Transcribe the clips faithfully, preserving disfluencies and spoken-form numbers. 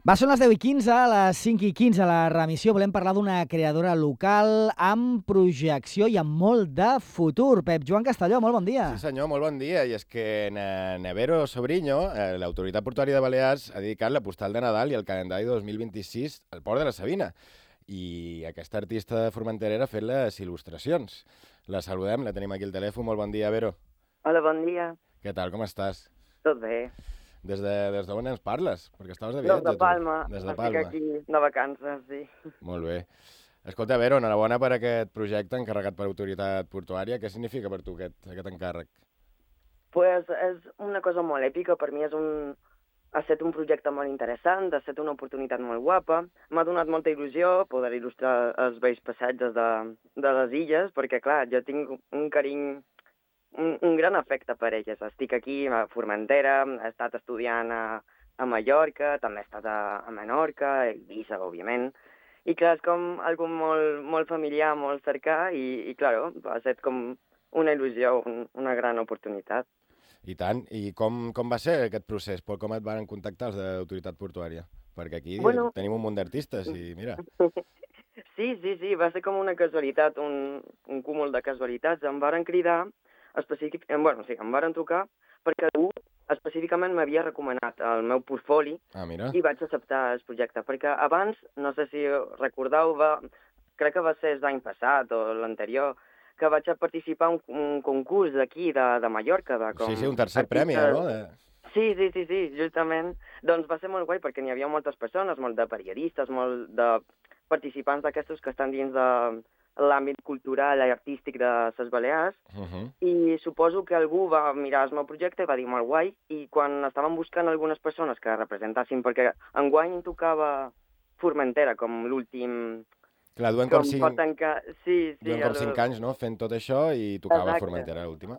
Va, són les deu i quinze, a les cinc i quinze la remissió. Volem parlar d'una creadora local amb projecció i amb molt de futur. Pep Joan Castelló, molt bon dia. Sí senyor, molt bon dia. I és que Nevero Sobriño, eh, l'autoritat portuària de Balears, ha dedicat la postal de Nadal i el calendari dos mil vint-i-sis al port de la Sabina. I aquesta artista de Formentera ha fet les il·lustracions. La saludem, la tenim aquí al telèfon. Molt bon dia, Vero. Hola, bon dia. Què tal, com estàs? Tot bé. Des de, des d'on ens parles? Perquè estaves de Des viatge, de tu. Palma. Des de Estic Palma. aquí de vacances, sí. Molt bé. Escolta, Vero, enhorabona per aquest projecte encarregat per autoritat portuària. Què significa per tu aquest, aquest encàrrec? Pues és una cosa molt èpica. Per mi és un... ha estat un projecte molt interessant, ha estat una oportunitat molt guapa. M'ha donat molta il·lusió poder il·lustrar els vells passatges de, de les illes, perquè, clar, jo tinc un carinyo, un, un gran afecte per elles. Estic aquí a Formentera, he estat estudiant a, a Mallorca, també he estat a, a Menorca, a Eivissa, òbviament. I clar, és com algo molt, molt familiar, molt cercà, i, i clar, ha estat com una il·lusió, un, una gran oportunitat. I tant. I com, com va ser aquest procés? Com et van contactar els de l'autoritat portuària? Perquè aquí bueno... tenim un munt d'artistes i mira... Sí, sí, sí, va ser com una casualitat, un, un cúmul de casualitats. Em varen cridar, específic... bueno, sí, em varen trucar perquè algú específicament m'havia recomanat el meu portfoli ah, mira. I vaig acceptar el projecte. Perquè abans, no sé si recordeu, va... crec que va ser l'any passat o l'anterior, que vaig a participar en un, un concurs d'aquí, de, de Mallorca. De com sí, sí, un tercer artistes... premi, no? De... Sí, sí, sí, sí, justament. Doncs va ser molt guai perquè n'hi havia moltes persones, molt de periodistes, molt de participants d'aquestos que estan dins de l'àmbit cultural i artístic de les Balears. Uh -huh. I suposo que algú va mirar el meu projecte i va dir molt guai. I quan estàvem buscant algunes persones que representassin, perquè enguany tocava Formentera com l'últim... Clar, duen com, cinc... tancar... sí, sí, duen com cinc anys, no?, fent tot això i tocava Exacte. Formentera l'última.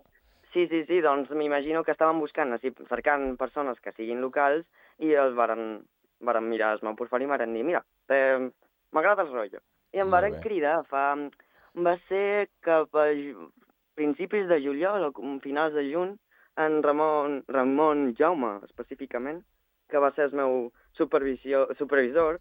Sí, sí, sí, doncs m'imagino que estàvem buscant, així, cercant persones que siguin locals i els varen, varen mirar el meu portfoli i varen dir, mira, eh, m'agrada el rotllo. I em varen cridar, fa... va ser cap a principis de juliol o finals de juny, en Ramon, Ramon Jaume, específicament, que va ser el meu supervisor,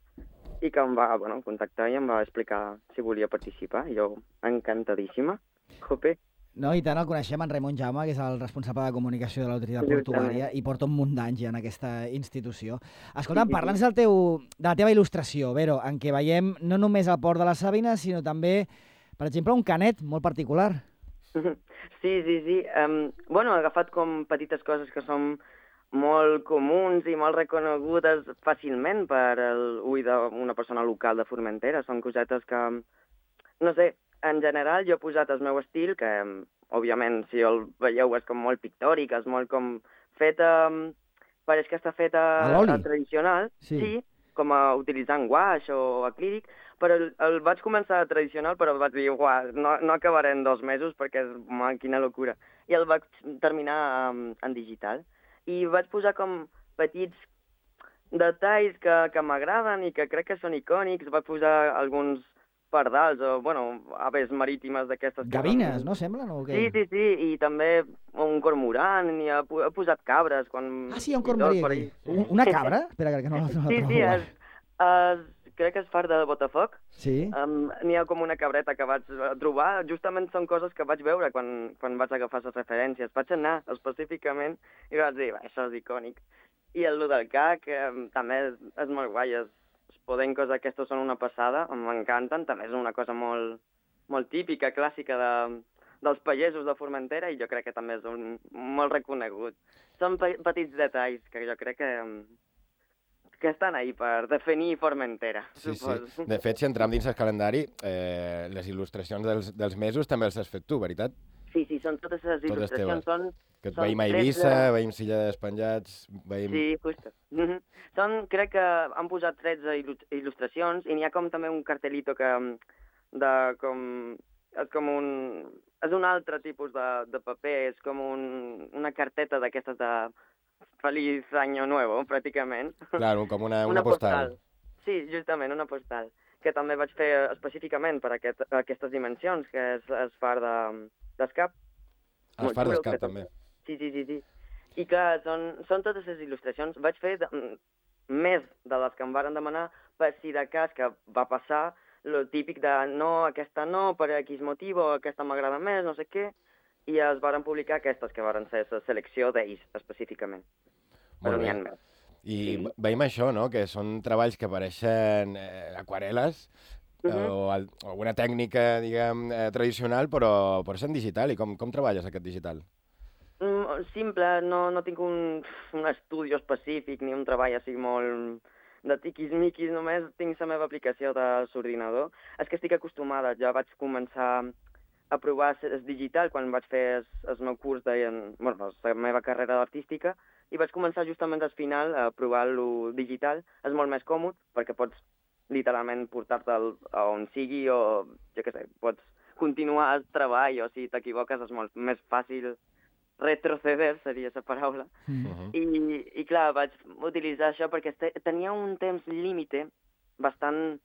i que em va bueno, contactar i em va explicar si volia participar. Jo, encantadíssima. Jope. No, i tant, el coneixem, en Ramon Jaume, que és el responsable de comunicació de l'autoritat portuària i porta un munt d'anys en aquesta institució. Escolta'm, parla'ns del teu, de la teva il·lustració, Vero, en què veiem no només el port de la Sabina, sinó també, per exemple, un canet molt particular. Sí, sí, sí. Um, bueno, he agafat com petites coses que són molt comuns i molt reconegudes fàcilment per l'ull d'una persona local de Formentera. Són cosetes que, no sé, en general jo he posat el meu estil, que òbviament si el veieu és com molt pictòric, és molt com feta, pareix que està feta a l'oli tradicional, sí. sí, com a utilitzant guaix o acrílic, però el, el vaig començar tradicional, però vaig dir, uah, no, no acabaré en dos mesos perquè és, ma, quina locura. I el vaig terminar um, en digital. I vaig posar com petits detalls que, que m'agraden i que crec que són icònics. Vaig posar alguns pardals o, bueno, aves marítimes d'aquestes... Gavines, que... no semblen? O què? Sí, sí, sí, i també un cormorant, i he, he posat cabres quan... Ah, sí, hi ha un cormorí aquí. Una cabra? Espera, que no, no la trobo. Sí, sí, és, és, crec que és far de Botafoc. Sí. Um, N'hi ha com una cabreta que vaig trobar. Justament són coses que vaig veure quan, quan vaig agafar les referències. Vaig anar específicament i vaig dir, això és icònic. I el del cac eh, també és, és molt guai. Els podencos aquests són una passada, m'encanten. També és una cosa molt, molt típica, clàssica de, dels pagesos de Formentera i jo crec que també és un, molt reconegut. Són pe petits detalls que jo crec que... que estan ahí per definir Formentera, sí, suposo. Sí. De fet, si entrem dins el calendari, eh, les il·lustracions dels, dels mesos també les has fet tu, veritat? Sí, sí, són totes les totes il·lustracions. Són, que et són veïm a Eivissa, de... veïm Silla d'Espenjats, veïm... Sí, just. Mm -hmm. Són, crec que han posat tretze il·lustracions i n'hi ha com també un cartelito que de com... és com un... és un altre tipus de, de paper, és com un, una carteta d'aquestes de... Feliz Año Nuevo, pràcticament. Claro, com una, una, una postal. postal. Sí, justament, una postal, que també vaig fer específicament per aquest, aquestes dimensions, que és el far d'escap. De, el far d'escap, també. Sí, sí, sí, sí. I clar, són, són totes les il·lustracions. Vaig fer de, més de les que em varen demanar, per si de cas que va passar lo típic de no, aquesta no, per X motiu, o aquesta m'agrada més, no sé què, i es varen publicar aquestes que varen ser la selecció d'ells, específicament. Però n'hi ha més. I sí. Veiem això, no?, que són treballs que pareixen eh, aquarel·les, uh -huh. o, el, o alguna tècnica, diguem, eh, tradicional, però, però és en digital. I com, com treballes aquest digital? Mm, simple, no, no tinc un, un estudi específic ni un treball així molt de tiquis-miquis, només tinc la meva aplicació de l'ordinador. És que estic acostumada, ja vaig començar a provar el digital quan vaig fer el meu curs de bueno, la meva carrera artística, i vaig començar justament al final a provar-lo digital. És molt més còmode, perquè pots literalment portar-te'l a on sigui, o jo què sé, pots continuar el treball, o si t'equivoques és molt més fàcil retroceder, seria la paraula. Mm -hmm. I, I clar, vaig utilitzar això perquè tenia un temps límite bastant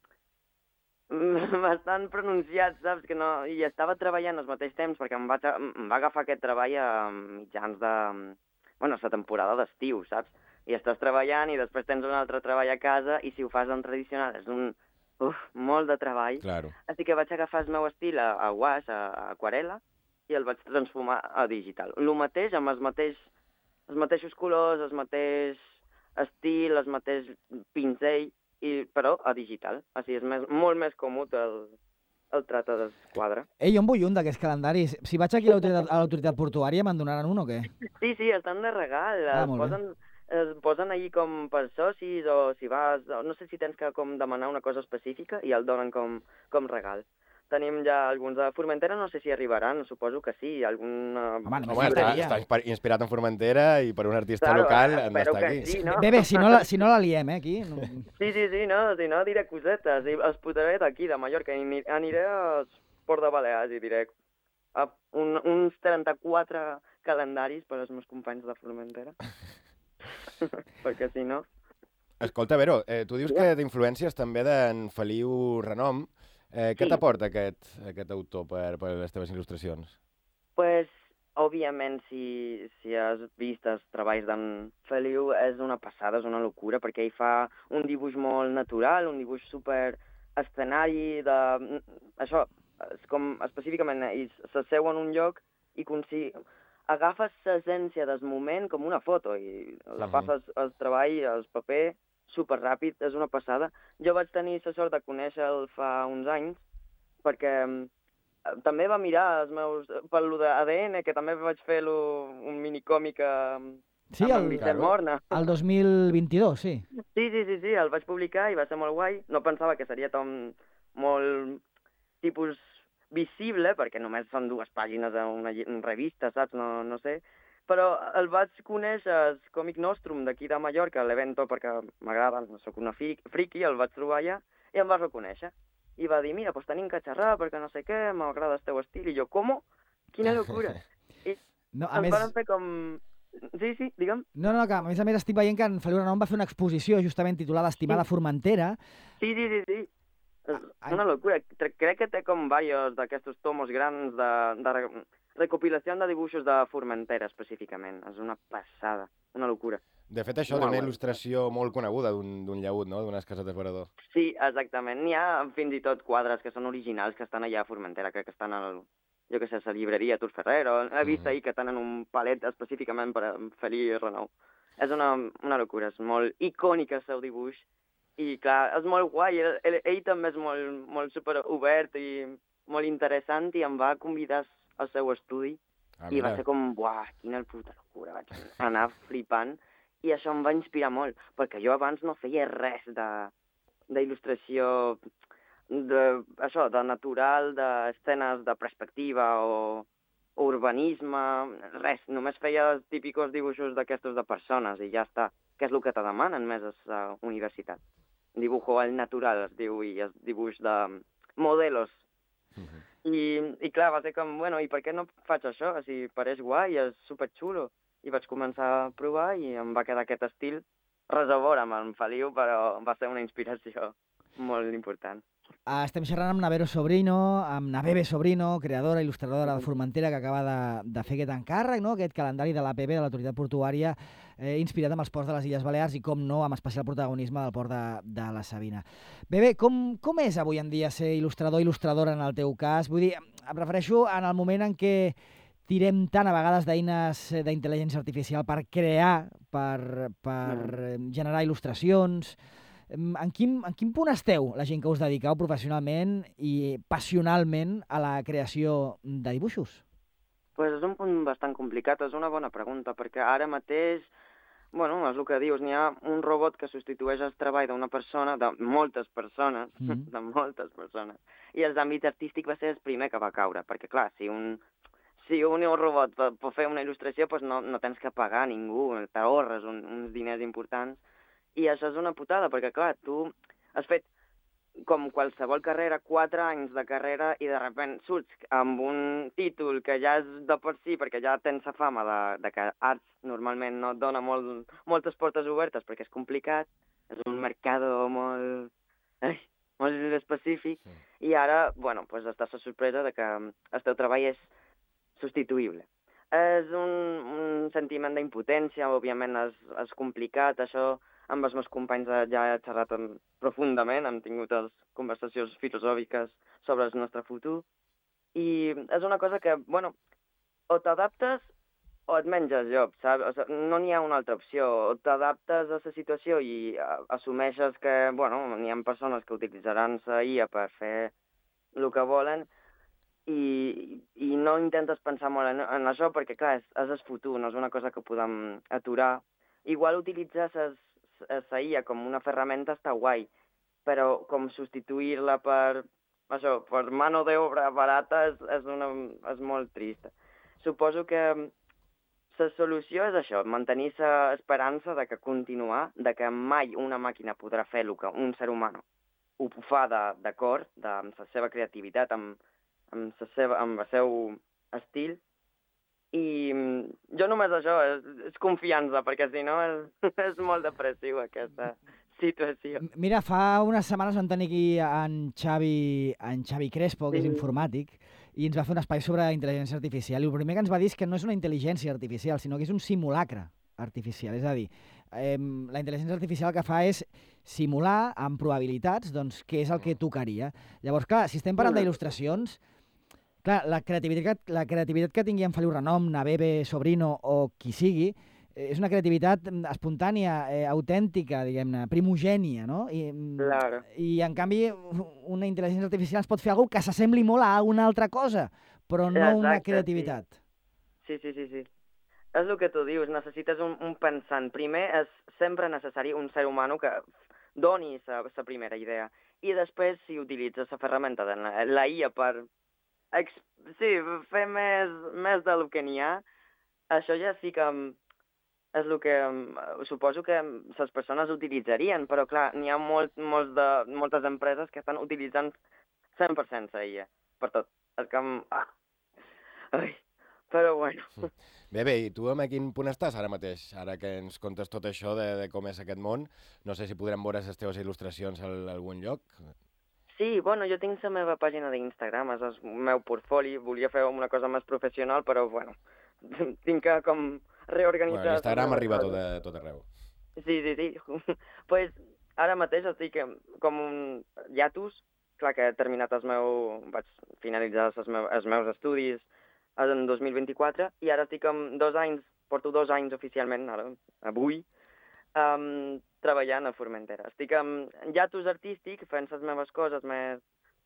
bastant pronunciat, saps? Que no... I estava treballant al mateix temps, perquè em, vaig, em va agafar aquest treball a mitjans de... bueno, la temporada d'estiu, saps? I estàs treballant i després tens un altre treball a casa, i si ho fas en tradicional és un... uf, molt de treball. Claro. Així que vaig agafar el meu estil a, a guaix, a, a aquarel·la, i el vaig transformar a digital. El mateix, amb els, mateix, els mateixos colors, el mateix estil, el mateix pinzell, i, però a digital. Així és més, molt més còmode el, el tracte del quadre. Ei, jo en vull un d'aquests calendaris. Si vaig aquí a l'autoritat portuària, me'n donaran un o què? Sí, sí, estan de regal. Ah, es, posen, es posen allí com per socis, o si vas... No sé si tens que com demanar una cosa específica i el donen com, com regal. Tenim ja alguns de Formentera, no sé si arribaran, suposo que sí, alguna... Home, no Home està, està inspirat en Formentera i per un artista claro, local han d'estar aquí. Sí, no? Bé, bé, si no la, si no la liem, eh, aquí. No... Sí, sí, sí, no, si no diré cosetes, i els posaré d'aquí, de Mallorca, i aniré als Port de Balears i diré a un, uns trenta-quatre calendaris per als meus companys de Formentera, perquè si no... Escolta, Vero, eh, tu dius que t'influències també d'en Feliu Renom. Eh, què sí. t'aporta aquest, aquest autor per, per les teves il·lustracions? Pues, òbviament, si, si has vist els treballs d'en Feliu, és una passada, és una locura, perquè ell fa un dibuix molt natural, un dibuix super escenari, de... això, és com específicament, ell s'asseu en un lloc i consi... agafes l'essència del moment com una foto, i la passes al treball, al paper, super ràpid, és una passada. Jo vaig tenir la sort de conèixer-lo fa uns anys, perquè també va mirar els meus... per lo d'A D N, que també vaig fer un minicòmic amb, sí, amb el, en Vicent Morna. El dos mil vint-i-dos, sí. Sí, sí, sí, sí, el vaig publicar i va ser molt guai. No pensava que seria tan molt tipus visible, perquè només són dues pàgines d'una revista, saps? No, no sé. Però el vaig conèixer al Còmic Nostrum d'aquí de Mallorca, a l'Evento, perquè m'agrada, soc una friki, el vaig trobar allà i em va reconèixer. I va dir, mira, doncs tenim que xerrar perquè no sé què, m'agrada el teu estil. I jo, com? Quina locura! I no, a ens més... van fer com... Sí, sí, digue'm. No, no, que a més a més estic veient que en Feliu Renom va fer una exposició justament titulada Estimada sí. Formentera. Sí, sí, sí, sí. És ah, una locura. Crec que té com diversos d'aquests tomos grans de... de recopilació de dibuixos de Formentera, específicament. És una passada, una locura. De fet, això té una il·lustració molt coneguda d'un llaüt, no?, d'unes casetes Verador. Sí, exactament. N'hi ha fins i tot quadres que són originals, que estan allà a Formentera, crec que estan al, jo què sé, a la llibreria Tur Ferrero. He vist mm-hmm. ahir que tenen un palet específicament per a Feliu Renom. És una, una locura, és molt icònic el seu dibuix. I, clar, és molt guai. Ell, ell, ell també és molt, molt super obert i molt interessant, i em va convidar al seu estudi, ah, i va ser com, buah, quina puta locura, vaig anar flipant, i això em va inspirar molt, perquè jo abans no feia res d'il·lustració, de, això, de natural, d'escenes de perspectiva o, o urbanisme, res, només feia els típics dibuixos d'aquestos de persones, i ja està, que és el que te demanen més a la universitat. Dibujo al natural, es diu, i és dibuix de modelos. Uh-huh. I, I clar, va ser com, bueno, i per què no faig això? O sigui, pareix guai, és superxulo. I vaig començar a provar i em va quedar aquest estil res a veure amb en Feliu, però va ser una inspiració molt important. Uh, estem xerrant amb Navero Sobrino, amb Navebe Sobrino, creadora, il·lustradora de Formentera, que acaba de, de fer aquest encàrrec, no? Aquest calendari de l'A P B, de l'Autoritat Portuària, eh, inspirat amb els ports de les Illes Balears i, com no, amb especial protagonisme del port de, de la Sabina. Bebe, com, com és avui en dia ser il·lustrador, il·lustradora en el teu cas? Vull dir, em refereixo en el moment en què tirem tant a vegades d'eines d'intel·ligència artificial per crear, per, per generar il·lustracions. En quin, en quin punt esteu, la gent que us dediqueu professionalment i passionalment a la creació de dibuixos? Pues és un punt bastant complicat, és una bona pregunta, perquè ara mateix, bueno, és el que dius, n'hi ha un robot que substitueix el treball d'una persona, de moltes persones, mm. de moltes persones, i els àmbits artístics va ser el primer que va caure, perquè clar, si un, si un robot pot fer una il·lustració, pues no, no tens que pagar a ningú, t'ahorres un, uns diners importants. I això és una putada, perquè, clar, tu has fet, com qualsevol carrera, quatre anys de carrera i de sobte surts amb un títol que ja és de per si, perquè ja tens la fama de, de que arts normalment no et dona molt, moltes portes obertes perquè és complicat, és un mercat molt, ai, molt específic, sí. I ara, bueno, pues estàs a sorpresa de que el teu treball és substituïble. És un, un sentiment d'impotència, òbviament és, és complicat, això amb els meus companys ja he xerrat profundament, hem tingut les conversacions filosòfiques sobre el nostre futur, i és una cosa que, bueno, o t'adaptes o et menges job, saps? O sigui, no n'hi ha una altra opció, o t'adaptes a la situació i assumeixes que, bueno, n'hi ha persones que utilitzaran la I A per fer el que volen, i, i no intentes pensar molt en, en això, perquè, clar, és, és el futur, no és una cosa que podem aturar. Igual utilitzar les la I A com una ferramenta està guai, però com substituir-la per, això, per mano d'obra barata és, és, una, és molt trist. Suposo que la solució és això, mantenir l'esperança de que continuar, de que mai una màquina podrà fer el que un ser humà ho fa d'acord, amb la seva creativitat, amb, amb, la seva, amb el seu estil. I jo només això, és, és confiança, perquè si no és, és molt depressiu aquesta situació. Mira, fa unes setmanes vam tenir aquí en Xavi, en Xavi Crespo, que sí. és informàtic, i ens va fer un espai sobre intel·ligència artificial, i el primer que ens va dir és que no és una intel·ligència artificial, sinó que és un simulacre artificial. És a dir, eh, la intel·ligència artificial el que fa és simular amb probabilitats doncs, què és el que tocaria. Llavors, clar, si estem parlant d'il·lustracions, clar, la creativitat, la creativitat que tingui en Feliu Renom, Navebe Sobrino o qui sigui, és una creativitat espontània, eh, autèntica, diguem-ne, primogènia, no? I, claro. I, en canvi, una intel·ligència artificial es pot fer alguna que s'assembli molt a una altra cosa, però no Exacte, una creativitat. Sí. sí, sí, sí, sí. És el que tu dius, necessites un, un pensant. Primer és sempre necessari un ser humà que doni la primera idea, i després, si utilitzes la ferramenta de la, la I A per sí, fer més, més del que n'hi ha, això ja sí que és el que suposo que les persones utilitzarien, però clar, n'hi ha molt, molt de, moltes empreses que estan utilitzant cent per cent la I A, per tot. És que... Ah. Ai. Però bueno. Bé, bé, i tu a quin punt estàs ara mateix? Ara que ens contes tot això de, de com és aquest món, no sé si podrem veure les teves il·lustracions a algun lloc. Sí, bueno, jo tinc la meva pàgina d'Instagram, és el meu portfoli, volia fer una cosa més professional, però, bueno, tinc que com reorganitzar... Bueno, l'Instagram arriba a tot, a tot arreu. Sí, sí, sí. Pues ara mateix estic com un hiatus, clar que he terminat el meu... vaig finalitzar els, meu, els meus estudis en dos mil vint-i-quatre, i ara estic amb dos anys, porto dos anys oficialment, ara, avui, Um, treballant a Formentera. Estic en hiatus artístic, fent les meves coses més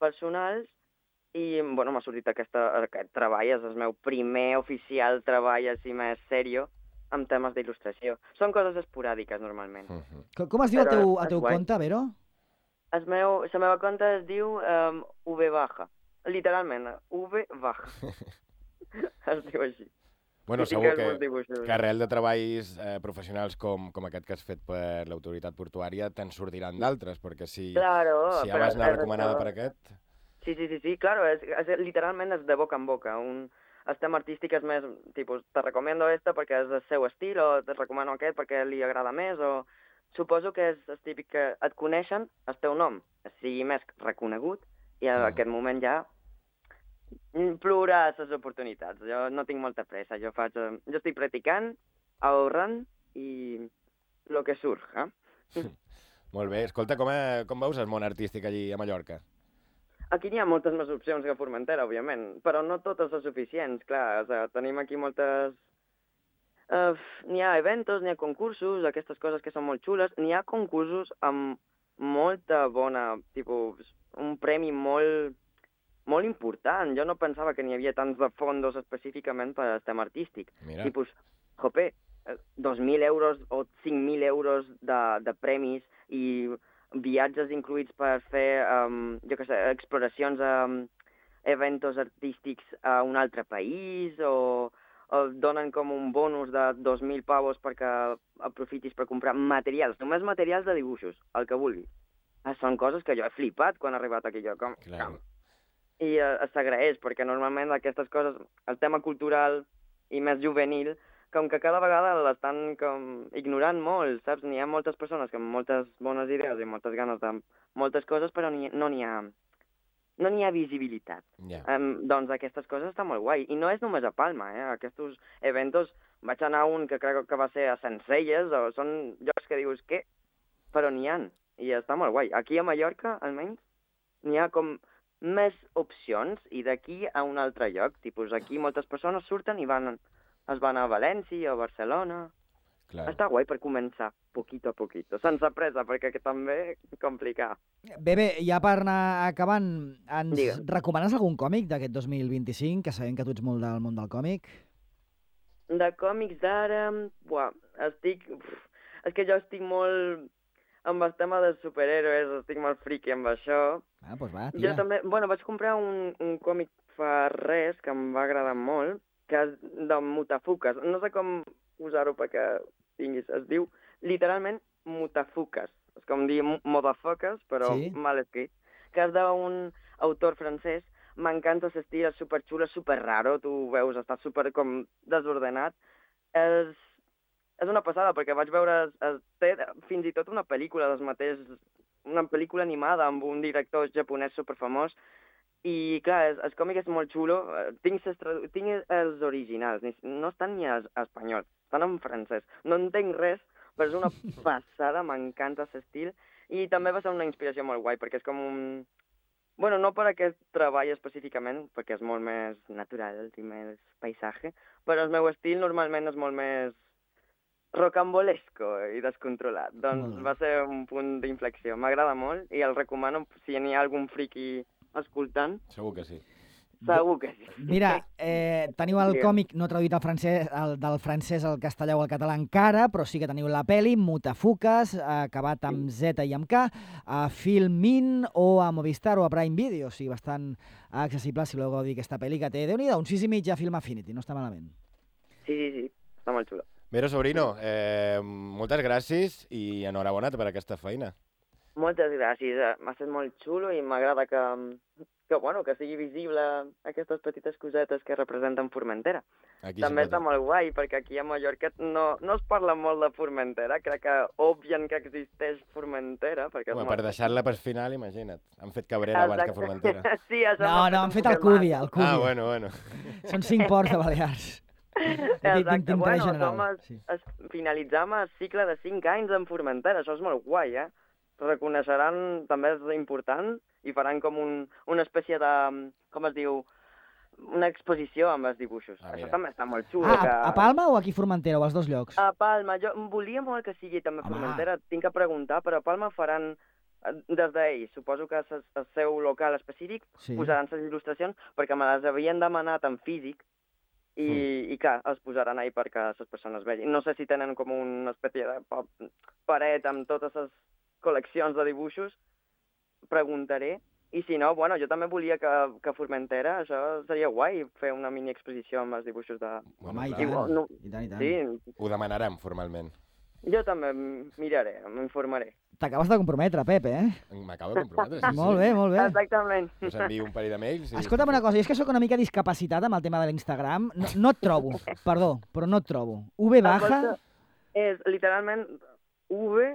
personals, i bueno, m'ha sortit aquesta, aquest treball, és el meu primer oficial treball així més sèrio amb temes d'il·lustració. Són coses esporàdiques, normalment. Uh -huh. Com, com es diu el teu, el teu compte, Vero? El meu, la meva compte es diu um, V baja. Literalment, V baja. Es diu així. Bueno, segur que, que arrel de treballs eh, professionals com, com aquest que has fet per l'autoritat portuària te'n sortiran d'altres, perquè si, claro, si ja vas anar recomanada per aquest... Sí, sí, sí, sí, claro, és, és, literalment és de boca en boca. Un, el tema artístic és més, tipus, te recomiendo esta perquè és el seu estil, o te recomano aquest perquè li agrada més, o suposo que és el típic que et coneixen, el teu nom sigui més reconegut, i en Mm. aquest moment ja plorar les oportunitats. Jo no tinc molta pressa, jo faig... eh, Jo estic practicant, ahorrant i el que surt, eh? Molt bé. Escolta, com, a, com veus el món artístic allí a Mallorca? Aquí n'hi ha moltes més opcions que a Formentera, òbviament, però no totes són suficients, clar. O sigui, tenim aquí moltes... Uh, n'hi ha eventos, n'hi ha concursos, aquestes coses que són molt xules. N'hi ha concursos amb molta bona... tipus, un premi molt, molt important. Jo no pensava que n'hi havia tants de fondos específicament per al tema artístic. Mira. Tipus, jope, dos mil euros o cinc mil euros de, de premis i viatges incluïts per fer, um, jo què sé, exploracions a um, eventos artístics a un altre país, o, o donen com un bonus de dos mil pavos perquè aprofitis per comprar materials, només materials de dibuixos, el que vulguis. Ah, són coses que jo he flipat quan he arribat aquí jo. Com, Clar. com. I uh, s'agraeix, perquè normalment aquestes coses, el tema cultural i més juvenil, com que cada vegada l'estan com ignorant molt, saps? N'hi ha moltes persones amb moltes bones idees i moltes ganes de moltes coses, però ni, no n'hi ha, no n'hi ha visibilitat. Ja. Um, doncs aquestes coses estan molt guai. I no és només a Palma, eh? Aquests eventos, vaig anar a un que crec que va ser a Sencelles, o són llocs que dius, què? Però n'hi ha, i està molt guai. Aquí a Mallorca, almenys, n'hi ha com més opcions, i d'aquí a un altre lloc. Tipus, aquí moltes persones surten i van... es van a València o a Barcelona. Clar. Està guai per començar, poquito a poquito, sense pressa, perquè també complicar. Bé, bé, ja per anar acabant, ens Digue. recomanes algun còmic d'aquest dos mil vint-i-cinc, que sabem que tu ets molt del món del còmic? De còmics d'ara, buah, estic... Uf, és que jo estic molt amb el tema dels superhéroes, estic molt friqui amb això. Ah, doncs va, Jo tira. també, bueno, vaig comprar un, un còmic fa res que em va agradar molt, que és de Mutafuques. No sé com usar-ho perquè tinguis. Es diu literalment Mutafuques. És com dir motherfuckers, però Sí. mal escrit. Que és d'un autor francès. M'encanta l'estil, és superxulo, és superraro. Tu ho veus, està super com desordenat. És, és una passada, perquè vaig veure... Es, es, té fins i tot una pel·lícula dels mateix... Una pel·lícula animada amb un director japonès superfamós. I, clar, el, el còmic és molt xulo. Tinc, ses, tinc els originals, no estan ni a espanyol, estan en francès. No entenc res, però és una passada, m'encanta aquest estil. I també va ser una inspiració molt guai, perquè és com un... Bueno, no per aquest treball específicament, perquè és molt més natural i més paisatge, però el meu estil normalment és molt més rocambolesco i descontrolat. Doncs Molt bé. va ser un punt d'inflexió. M'agrada molt i el recomano si n'hi ha algun friqui escoltant. Segur que sí. Segur que sí. Mira, eh, teniu el Digue'm. còmic no traduït al francès, el, del francès al castellà o al català encara, però sí que teniu la peli, Mutafuques, acabat amb Z i amb K, a Filmin o a Movistar o a Prime Video, o sigui, bastant accessible si voleu gaudir aquesta pel·li, que té, déu-n'hi-do, un sis i mig a Film Affinity, no està malament. Sí, sí, sí. Està molt xulo. Vero Sobrino, eh, moltes gràcies i enhorabona per aquesta feina. Moltes gràcies. eh, M'ha estat molt xulo i m'agrada que, que, bueno, que sigui visible aquestes petites cosetes que representen Formentera. Aquí També sempre està molt guai, perquè aquí a Mallorca no, no es parla molt de Formentera. Crec que obvien que existeix Formentera. Perquè és Home, molt... per deixar-la per final, imagina't. Han fet Cabrera abans que Formentera. Sí, això No, m'ha no, fet han un fet el poquet Cúdia, el Cúdia. Ah, bueno, bueno. Són cinc ports de Balears. Exacte. Bueno, general. som es, Sí. es, finalitzam el cicle de cinc anys en Formentera. Això és molt guai, eh? Reconeixeran, també és important, i faran com un, una espècie de, com es diu, una exposició amb els dibuixos. Ah, Això mira. també està molt xulo. Ah, que... a, a Palma o aquí a Formentera, o als dos llocs? A Palma. Jo volia molt que sigui també Home. Formentera, tinc que preguntar, però a Palma faran eh, des d'ells. Suposo que el, el seu local específic Sí. posaran les il·lustracions, perquè me les havien demanat en físic, i, Mm. i clar, els posaran ahí perquè les persones vegin. No sé si tenen com una espècie de pa- paret amb totes les col·leccions de dibuixos, preguntaré. I si no, bueno, jo també volia que, que Formentera, això seria guai, fer una mini exposició amb els dibuixos de... Home, i clar. tant, Igual, no- i tant, i tant. Sí, Ho demanarem formalment. jo també miraré, m'informaré. T'acabes de comprometre, Pep, eh? M'acabo de comprometre. Sí, Molt sí. bé, molt bé. Exactament. Us envio un parell de mails. I... Escolta'm una cosa, jo és que sóc una mica discapacitat amb el tema de l'Instagram. No, no et trobo, perdó, però no et trobo. V baja... És literalment V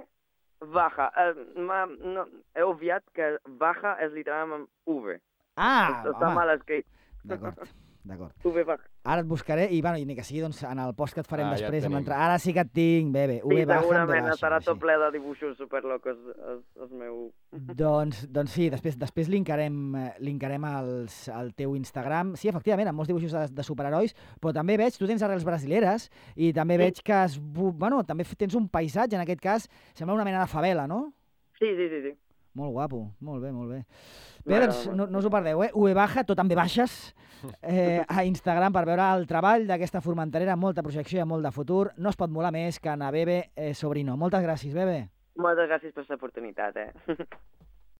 Baja. Uh, no, he obviat que baja és literalment V. Ah, Està home. mal escrit. D'acord, d'acord. V baja. Ara et buscaré i, bueno, i ni que sigui doncs, en el post que et farem Ah, ja després. et amb tenim. l'entrada. Ara sí que et tinc, bé, bé. Sí, V baja, segurament V baixa, estarà tot així. ple de dibuixos superlocos el, el meu... Doncs, doncs sí, després, després linkarem, eh, linkarem els, el teu Instagram. Sí, efectivament, amb molts dibuixos de, de superherois, però també veig, tu tens arrels brasileres i també Sí. veig que has, bu- bueno, també f- tens un paisatge, en aquest cas, sembla una mena de favela, no? Sí, sí, sí, sí. Molt guapo, molt bé, molt bé. Bé, M'agrada doncs molt. no, no us ho perdeu, eh? V baja, tot amb V baixes, eh, a Instagram per veure el treball d'aquesta formenterera, molta projecció i molt de futur. No es pot molar més que anar Bebe eh, Sobrino. Moltes gràcies, Bebe. Moltes gràcies per l'oportunitat, eh?